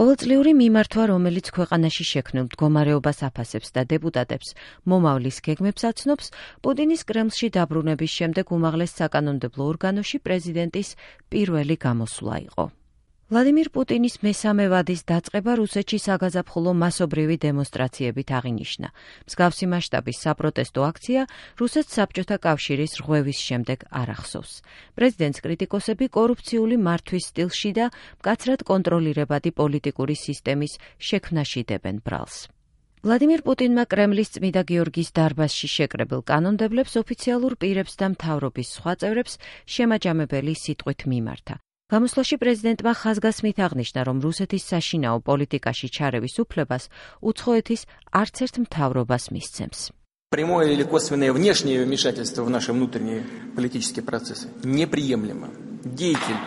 ყოველწლიური მიმართვა, რომელიც ქვეყანაში შექმნილ მდგომარეობას აფასებს და დეპუტატებს მომავლის გეგმებს აცნობს, პუტინის კრემლში დაბრუნების შემდეგ უმაღლეს საკანონმდებლო ორგანოში პრეზიდენტის პირველი გამოსვლა იყო. ვლადიმირ პუტინის მესამე ვადის დაწყება რუსეთში საგაზაფხულო მასობრივი დემონსტრაციებით აღინიშნა. მსგავსი მასშტაბის საპროტესტო აქცია რუსეთს საბჭოთა კავშირის რღვევის შემდეგ არ ახსოვს. პრეზიდენტს კრიტიკოსები კორუფციული მართვის სტილში და მკაცრად კონტროლირებადი პოლიტიკური სისტემის შექმნაში დებენ ბრალს. ვლადიმირ პუტინმა კრემლის წმიდა გიორგის დარბაზში შეკრებილ კანონმდებლებს, ოფიციალურ პირებს და მთავრობის სხვა წევრებს შემაჯამებელი სიტყვით მიმართა. გამოსვლაში პრეზიდენტმა ხაზგასმით აღნიშნა, რომ რუსეთის საშინაო პოლიტიკაში ჩარევის უფლებას უცხოეთის არც ერთ მთავრობას მისცემს. Прямое или косвенное внешнее вмешательство в наши внутренние политические процессы неприемлемо. Деятель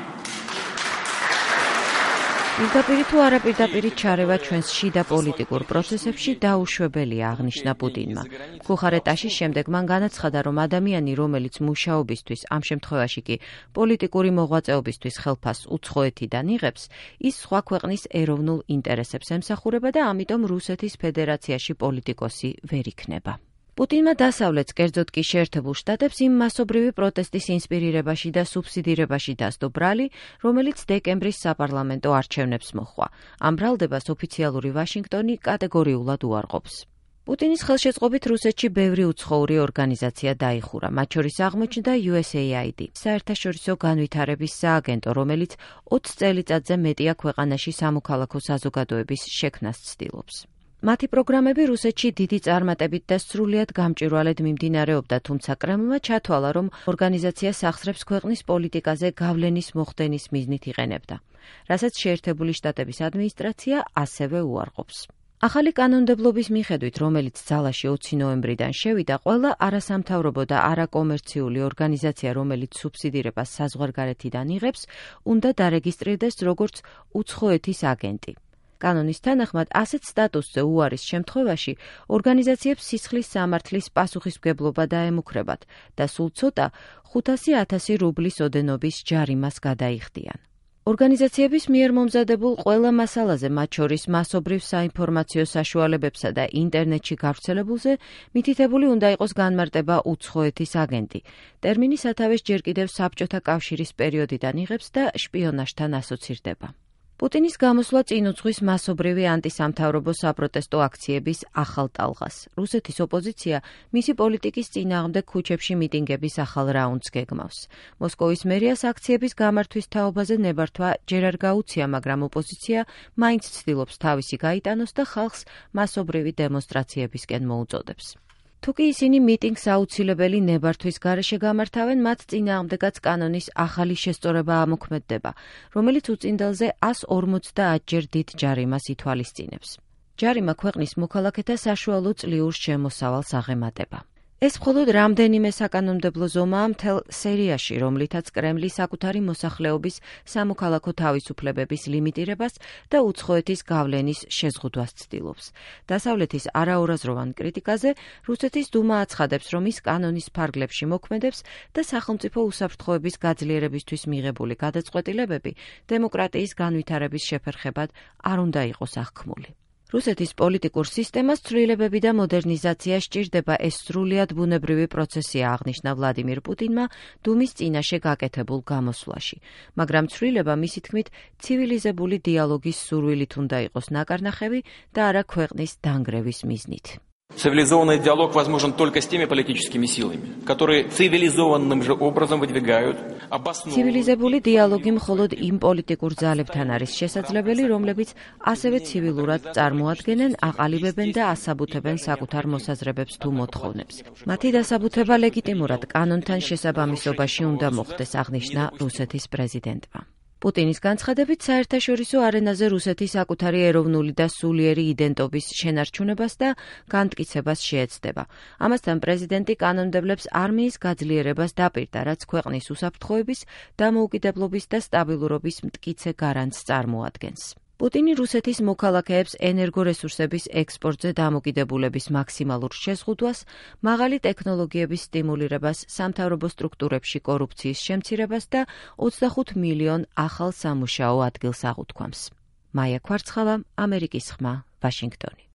პირდაპირ თუ არაპირდაპირი ჩარევა ჩვენს შიდა პოლიტიკურ პროცესებში დაუშვებელია, აღნიშნა პუტინმა. ბუხარესტში შემდეგ მან განაცხადა, რომ ადამიანი, რომელიც მუშაობისთვის, ამ შემთხვევაში კი პოლიტიკური მოღვაწეობისთვის ხელფასს უცხოეთიდან იღებს, ის სხვა ქვეყნის ეროვნულ ინტერესებს ემსახურება და ამიტომ რუსეთის ფედერაციაში პოლიტიკოსი ვერ იქნება. პუტინმა დასავლეთს, კერძოდ კი შეერთებულ შტატებს იმ მასობრივი პროტესტის ინსპირირებაში და სუბსიდირებაში დასდო ბრალი, რომელიც დეკემბრის საპარლამენტო არჩევნებს მოჰყვა. ამ ბრალდებას ოფიციალური ვაშინგტონი კატეგორიულად უარყოფს. პუტინის ხელშეწყობით რუსეთში ბევრი უცხოური ორგანიზაცია დაიხურა, მათ შორის აღმოჩნდა USAID, საერთაშორისო განვითარების სააგენტო, რომელიც 20 წელიწადზე მეტია ქვეყანაში სამოქალაქო საზოგადოების შექმნას ცდილობს. მათი პროგრამები რუსეთში დიდი წარმატებით და სრულიად გამჭვირვალედ მიმდინარეობდა, თუმცა კრემლმა ჩათვალა, რომ ორგანიზაციას ახსრებს ქვეყნის პოლიტიკაზე გავლენის მოხდენის მიზნით იყენებდა, რასაც შეერთებული შტატების ადმინისტრაცია ასევე უარყოფს. ახალი კანონმდებლობის მიხედვით, რომელიც ძალაში 20 ნოემბრიდან შევიდა, ყველა არასამთავრობო და არაკომერციული ორგანიზაცია, რომელიც სუბსიდირებას საზღვარგარეთიდან იღებს, უნდა დარეგისტრირდეს როგორც უცხოეთის აგენტი. კანონის თანახმად, ასეთ სტატუსზე უარის შემთხვევაში ორგანიზაციებს სისხლის სამართლის პასუხისმგებლობა დაემუქრებათ და სულ ცოტა 500,000 რუბლის ოდენობის ჯარიმას გადაიხდიან. ორგანიზაციების მიერ მომზადებულ ყველა მასალაზე, მათ შორის მასობრივ საინფორმაციო საშუალებებსა და ინტერნეტში გავრცელებულზე, მითითებული უნდა იყოს განმარტება უცხოეთის აგენტი. ტერმინი სათავეს ჯერ კიდევ საბჭოთა კავშირის პერიოდიდან იღებს და შპიონაჟთან ასოცირდება. პუტინის გამოსვლა წინ უძღვის მასობრივი ანტისამთავრობო საპროტესტო აქციების ახალ ტალღას. რუსეთის ოპოზიცია მისი პოლიტიკის წინააღმდეგ ქუჩებში მიტინგების ახალ რაუნდს გეგმავს. მოსკოვის მერიას აქციების გამართვის თაობაზე ნებართვა ჯერ არ გაუცია, მაგრამ ოპოზიცია მაინც ცდილობს თავისი გაიტანოს და ხალხს მასობრივი დემონსტრაციებისკენ მოუწოდებს. თუკი ისინი მიტინგს აუცილებელი ნებართვის გარეშე გამართავენ, მათ წინააღმდეგაც კანონის ახალი შესწორება ამოქმედდება, რომელიც უწინდელზე 150 ჯერ დიდ ჯარიმას ითვალისწინებს. ჯარიმა ქვეყნის მოქალაქეთა საშუალო წლიურ შემოსავალს აღემატება. ეს მხოლოდ რამდენიმე საკანონმდებლო ზომაა მთელ სერიაში, რომლითაც კრემლი საკუთარი მოსახლეობის სამოქალაქო თავისუფლებების ლიმიტირებას და უცხოეთის გავლენის შეზღუდვას ცდილობს. დასავლეთის არაურაზროვან კრიტიკაზე რუსეთის დუმა აცხადებს, რომ ის კანონის ფარგლებში მოქმედებს და სახელმწიფო უსაფრთხოების გაძლიერებისთვის მიღებული გადაწყვეტილებები დემოკრატიის განვითარების შეფერხებად არ უნდა იყოს აღქმული. რუსეთის პოლიტიკურ სისტემას ცვლილებები და მოდერნიზაცია სჭირდება, ეს სრულიად ბუნებრივი პროცესია, აღნიშნა ვლადიმირ პუტინმა დუმის წინაშე გაკეთებულ გამოსვლაში. მაგრამ ცვლილება, მისი თქმით, ცივილიზებული დიალოგის სურვილით უნდა იყოს ნაკარნახევი და არა ქვეყნის დანგრევის მიზნით. Цивилизованный диалог возможен только с теми политическими силами, которые цивилизованным же образом выдвигают обоснованные. ცივილიზებული დიალოგი მხოლოდ იმ პოლიტიკურ ძალებთან არის შესაძლებელი, რომლებიც ასევე ცივილურად წარმოადგენენ, აყალიბებენ და ასაბუთებენ საკუთარ მოსაზრებებს თუ მოთხოვნებს. მათი დასაბუთება ლეგიტიმურად კანონთან შესაბამისობაში უნდა მოხდეს, აღნიშნა რუსეთის პრეზიდენტმა. პუტინის განცხადებით, საერთაშორისო არენაზე რუსეთი საკუთარი ეროვნული და სულიერი იდენტობის შენარჩუნებას და განმტკიცებას შეეცდება. ამასთან პრეზიდენტი კანონმდებლებს არმიის გაძლიერებას დაპირდა, რაც ქვეყნის უსაფრთხოების, დამოუკიდებლობის და სტაბილურობის მტკიცე გარანტს წარმოადგენს. პუტინი რუსეთის მოქალაქეებს ენერგორესურსების ექსპორტზე დამოკიდებულების მაქსიმალურ შეზღუდვას, მაღალი ტექნოლოგიების სტიმულირებას, სამთავრობო სტრუქტურებში კორუფციის შემცირებას და 25 მილიონ ახალ სამუშაო ადგილს აღუთქვამს. მაია ქვარცხალა, ამერიკის ხმა, ვაშინგტონი.